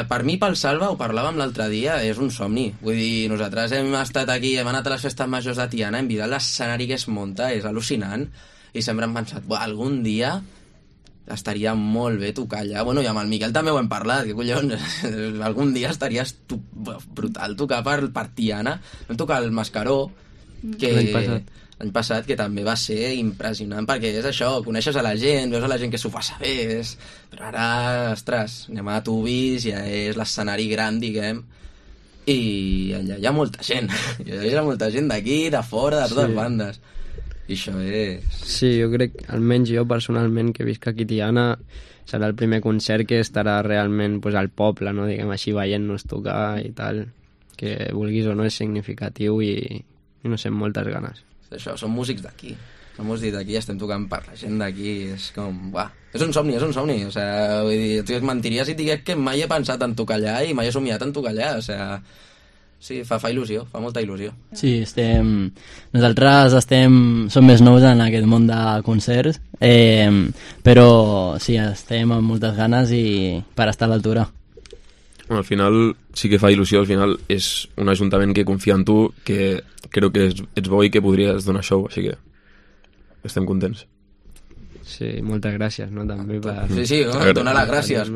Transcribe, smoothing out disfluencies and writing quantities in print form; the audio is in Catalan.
per mi, pel Salva, ho parlàvem l'altre dia, és un somni. Vull dir, nosaltres hem estat aquí, hem anat a les festes majors de Tiana, hem vist l'escenari que es munta, és al·lucinant, i sempre hem pensat, algun dia estaria molt bé tocar allà. Bueno, i amb el Miquel també ho hem parlat, que collons, algun dia estaria brutal tocar per Tiana. Vam tocar el Mascaró, que l'any passat, que també va ser impressionant, perquè és això, coneixes a la gent, veus a la gent que s'ho passa bé, però ara, ostres, anem a Tubis, ja és l'escenari gran, diguem, i allà hi ha molta gent, hi ha molta gent d'aquí, de fora, de totes bandes, i això és... Sí, jo crec, almenys jo personalment, que visc aquí a Tiana, serà el primer concert que estarà realment pues, al poble, no? Diguem així, veient-nos tocar i tal, que vulguis o no és significatiu i no sé, amb moltes ganes. Això, som músics d'aquí, estem tocant per la gent d'aquí, és com, és un somni, o sigui, vull dir, et mentiria si et digués que mai he pensat en tocar allà i mai he somiat en tocar allà, o sigui, sí, fa il·lusió, fa molta il·lusió. Sí, nosaltres som més nous en aquest món de concerts, però sí, estem amb moltes ganes i per estar a l'altura. Al final sí que fa il·lusió, al final és un ajuntament que confia en tu, que creu que ets bo i que podries donar show, així que estem contents. Sí, moltes gràcies, no? També per... Sí, donar les gràcies.